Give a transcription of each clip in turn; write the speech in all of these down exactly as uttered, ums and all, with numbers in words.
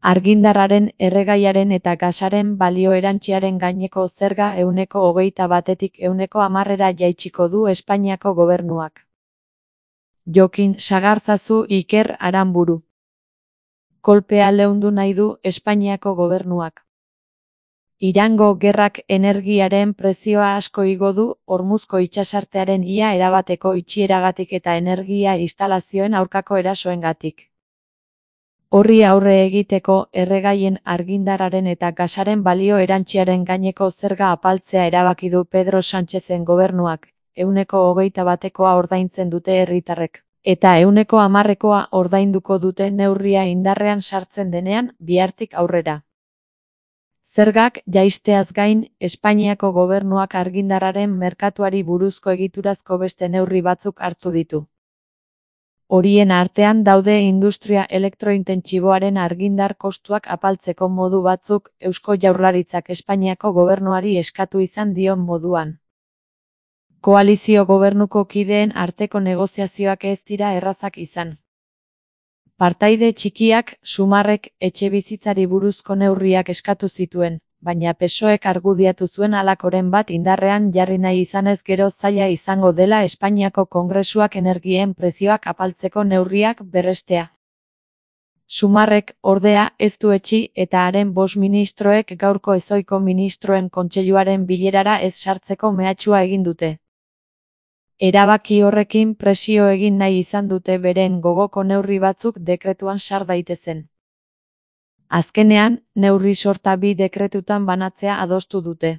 Argindarraren, erregaiaren eta gasaren balio erantsiaren gaineko zerga ehuneko hogeita batetik ehuneko hamarrera jaitsiko du Espainiako gobernuak. Jokin Sagarzazu Iker Aranburu. Kolpea leundu nahi du Espainiako gobernuak. Irango gerrak energiaren prezioa asko igo du, Hormuzko itsasartearen ia erabateko itxieragatik eta energia instalazioen aurkako erasoengatik. Horri aurre egiteko, erregaien, argindarraren eta gasaren balio erantsiaren gaineko zerga apaltzea erabaki du Pedro Sánchezen gobernuak, ehuneko hogeita batekoa ordaintzen dute herritarrek, eta ehuneko hamarrekoa ordainduko dute neurria indarrean sartzen denean, bihartik aurrera. Zergak jaisteaz gain, Espainiako gobernuak argindarraren merkatuari buruzko egiturazko beste neurri batzuk hartu ditu. Horien artean daude industria elektrointentsiboaren argindar kostuak apaltzeko modu batzuk, Eusko Jaurlaritzak Espainiako gobernuari eskatu izan dion moduan. Koalizio gobernuko kideen arteko negoziazioak ez dira errazak izan. Partaide txikiak, Sumarrek, etxebizitzari buruzko neurriak eskatu zituen, baina P S O Ek argudiatu zuen halakoren bat indarrean jarri nahi izanez gero zaila izango dela Espainiako Kongresuak energien prezioak apaltzeko neurriak berrestea. Sumarrek, ordea, ez du etsi eta haren bost ministroek gaurko ezohiko ministroen kontseiluaren bilerara ez sartzeko mehatxua egin dute. Erabaki horrekin presio egin nahi izan dute beren gogoko neurri batzuk dekretuan sar daitezen. Azkenean, neurri sorta bi dekretutan banatzea adostu dute.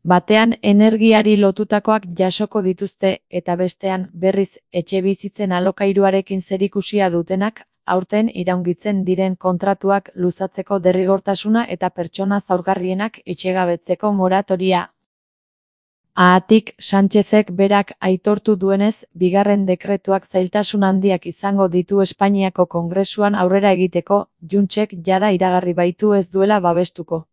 Batean energiari lotutakoak jasoko dituzte eta bestean, berriz, etxebizitzen alokairuarekin zerikusia dutenak, aurten iraungitzen diren kontratuak luzatzeko derrigortasuna eta pertsona zaurgarrienak etxegabetzeko moratoria. Haatik, Sánchezek berak aitortu duenez, bigarren dekretuak zailtasun handiak izango ditu Espainiako Kongresuan aurrera egiteko, Juntsek jada iragarri baitu ez duela babestuko.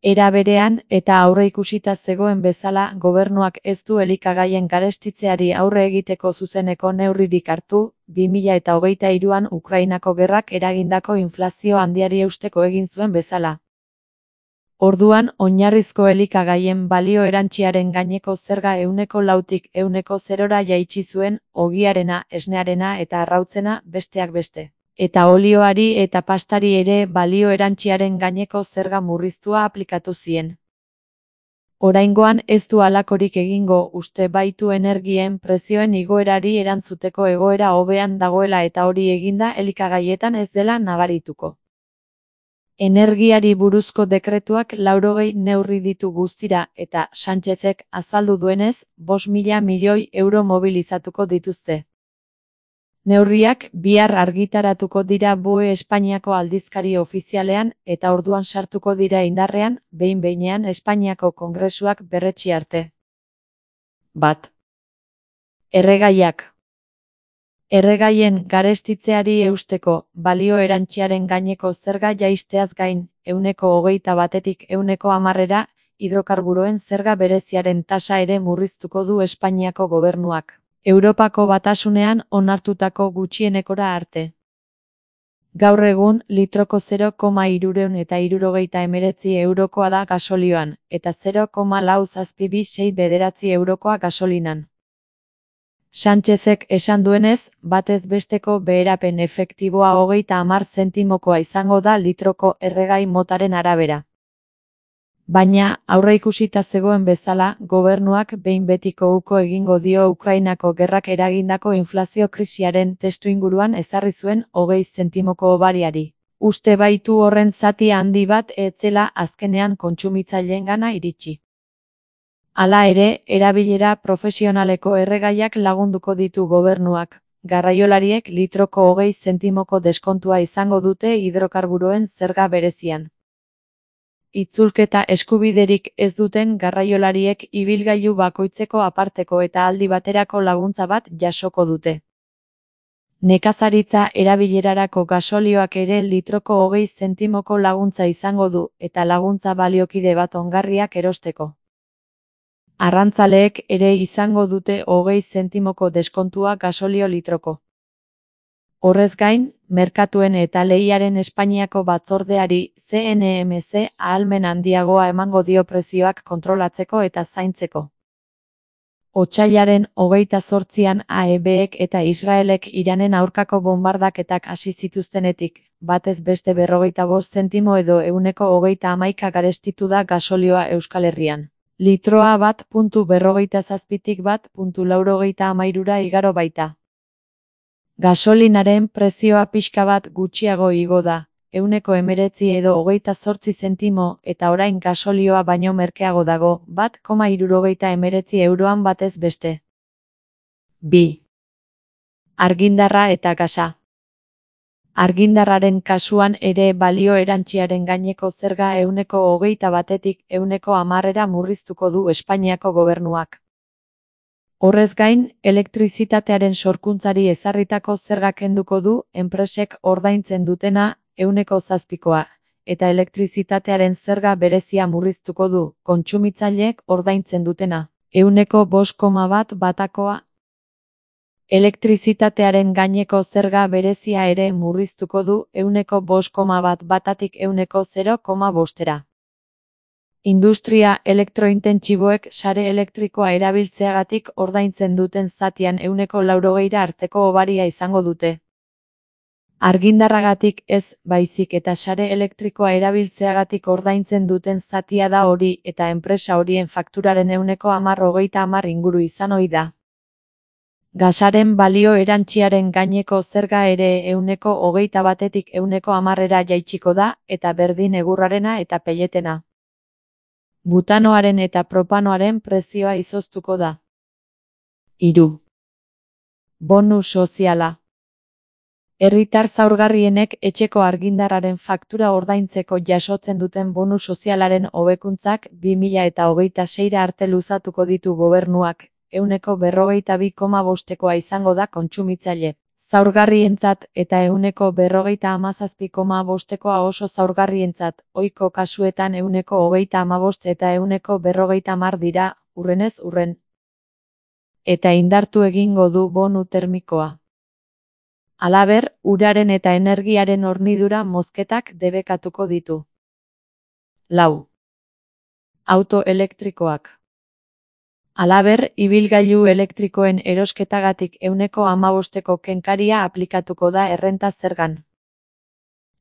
Era berean, eta aurreikusita zegoen bezala, gobernuak ez du elikagaien garestitzeari aurre egiteko zuzeneko neurririk hartu, bi mila eta hogeita hiruan Ukrainako gerrak eragindako inflazio handiari eusteko egin zuen bezala. Orduan, oinarrizko elikagaien balio erantsiaren gaineko zerga ehuneko lautik ehuneko zerora jaitsi zuen, ogiarena, esnearena eta arrautzena besteak beste. Eta olioari eta pastari ere balio erantsiaren gaineko zerga murriztua aplikatu zien. Oraingoan ez du halakorik egingo uste baitu energien prezioen igoerari erantzuteko egoera hobean dagoela eta hori eginda elikagaietan ez dela nabarituko. Energiari buruzko dekretuak laurogei neurri ditu guztira eta Sánchezek azaldu duenez, bost mila milioi euro mobilizatuko dituzte. Neurriak bihar argitaratuko dira B O E Espainiako aldizkari ofizialean eta orduan sartuko dira indarrean, behin-behinean Espainiako Kongresuak berretsi arte. Bat. Erregaiak. Erregaien garestitzeari eusteko, balio erantsiaren gaineko zerga jaisteaz gain, ehuneko hogeita batetik ehuneko hamarrera, hidrokarburoen zerga bereziaren tasa ere murriztuko du Espainiako gobernuak, Europako Batasunean onartutako gutxienekora arte. Gaur egun, litroko zero koma hirurehun eta hirurogeita hemeretzi eurokoa da gasolioan, eta zero koma lau zazpi bi sei bederatzi eurokoa gasolinan. Sánchezek esan duenez, batez besteko beherapen efektiboa hogeita hamar zentimokoa izango da litroko erregai motaren arabera. Baina, aurreikusita zegoen bezala, gobernuak behin betiko uko egingo dio Ukrainako gerrak eragindako inflazio krisiaren testuinguruan ezarri zuen hogei zentimoko hobariari. Uste baitu horren zati handi bat ez zela azkenean kontsumitzailengana iritsi. Hala ere, erabilera profesionaleko erregaiak lagunduko ditu gobernuak. Garraiolariek litroko hogei zentimoko deskontua izango dute hidrokarburoen zerga berezian. Itzulketa eskubiderik ez duten garraiolariek ibilgailu bakoitzeko aparteko eta aldi baterako laguntza bat jasoko dute. Nekazaritza erabilerarako gasolioak ere litroko hogei zentimoko laguntza izango du eta laguntza baliokide bat ongarriak erosteko. Arrantzaleek ere izango dute hogei zentimoko deskontua gasolio litroko. Horrez gain, merkatuen eta lehiaren Espainiako batzordeari C N M C ahalmen handiagoa emango dio prezioak kontrolatzeko eta zaintzeko. Otsailaren hogeita zortzian A E Bek eta Israelek Iranen aurkako bonbardaketak hasi zituztenetik, batez beste berrogeita bost zentimo edo ehuneko hogeita hamaika garestitu da gasolioa Euskal Herrian. Litroa bat puntu berrogeita zazpitik bat puntu laurogeita hamairura igaro baita. Gasolinaren prezioa pixka bat gutxiago igo da, ehuneko hemeretzi edo hogeita zortzi zentimo, eta orain gasolioa baino merkeago dago, bat koma hirurogeita hemeretzi euroan batez beste. bi. Argindarra eta gasa. Argindarraren kasuan ere balio erantsiaren gaineko zerga ehuneko hogeita batetik ehuneko hamarera murriztuko du Espainiako gobernuak. Horrez gain, elektrizitatearen sorkuntzari ezarritako zerga kenduko du enpresek ordaintzen dutena ehuneko zazpikoa, eta elektrizitatearen zerga berezia murriztuko du kontsumitzaileek ordaintzen dutena ehuneko bost koma bat batakoa. Elektrizitatearen gaineko zerga berezia ere murriztuko du ehuneko bost koma bat batatik ehuneko zero koma bostera. Industria elektrointentsiboek sare elektrikoa erabiltzeagatik ordaintzen duten zatian ehuneko laurogeira arteko obaria izango dute. Argindarragatik ez, baizik eta sare elektrikoa erabiltzeagatik ordaintzen duten zatia da hori eta enpresa horien fakturaren ehuneko hamar hogeita hamar inguru izan ohi da. Gasaren balio erantsiaren gaineko zerga ere ehuneko hogeita batetik ehuneko hamarera jaitsiko da, eta berdin egurrarena eta pelletena. Butanoaren eta propanoaren prezioa izoztuko da. hiru. Bonu soziala. Herritar zaurgarrienek etxeko argindarraren faktura ordaintzeko jasotzen duten bonu sozialaren hobekuntzak bi mila eta hogeita seira arte luzatuko ditu gobernuak, ehuneko berrogeita bi koma bostekoa izango da kontsumitzaile zaurgarrientzat eta ehuneko berrogeita hamazazpi koma bostekoa oso zaurgarrientzat, ohiko kasuetan ehuneko hogeita hamabost eta ehuneko berrogeita hamar dira, hurrenez hurren. Eta indartu egingo du bonu termikoa. Halaber, uraren eta energiaren hornidura mozketak debekatuko ditu. lau. Auto elektrikoak. Halaber, ibilgailu elektrikoen erosketagatik ehuneko hamabosteko kenkaria aplikatuko da errenta zergan.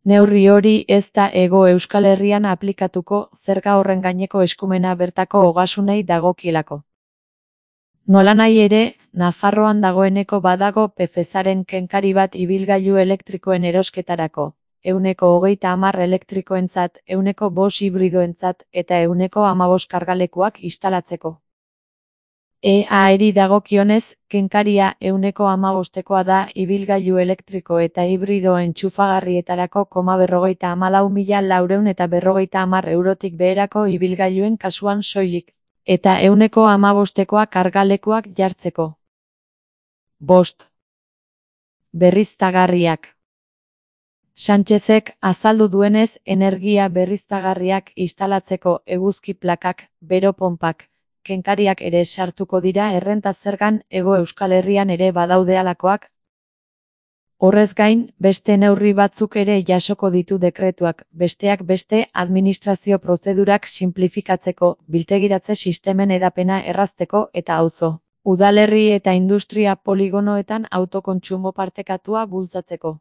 Neurri hori ez da Hego Euskal Herrian aplikatuko, zerga horren gaineko eskumena bertako ogasunei dagokielako. Nolanahi ere, Nafarroan dagoeneko badago P F E S-aren kenkari bat ibilgailu elektrikoen erosketarako, ehuneko hogeita hamar elektrikoentzat, ehuneko bost hibridoentzat eta ehuneko hamabost kargalekuak instalatzeko. E A-eri dagokionez, kenkaria ehuneko hamabostekoa da ibilgailu elektriko eta hibrido entxufagarrietarako koma berrogeita hamalau mila laurehun eta berrogeita hamar eurotik beherako ibilgailuen kasuan soilik, eta ehuneko hamabostekoa kargalekuak jartzeko. bost. Berriztagarriak. Sánchezek azaldu duenez, energia berriztagarriak instalatzeko eguzki plakak, bero ponpak, kenkariak ere sartuko dira errenta zergan Hego Euskal Herrian ere badaude halakoak. Horrez gain, beste neurri batzuk ere jasoko ditu dekretuak, besteak beste administrazio prozedurak sinplifikatzeko, biltegiratze sistemen hedapena errazteko eta auzo, udalerri eta industria poligonoetan autokontsumo partekatua bultzatzeko.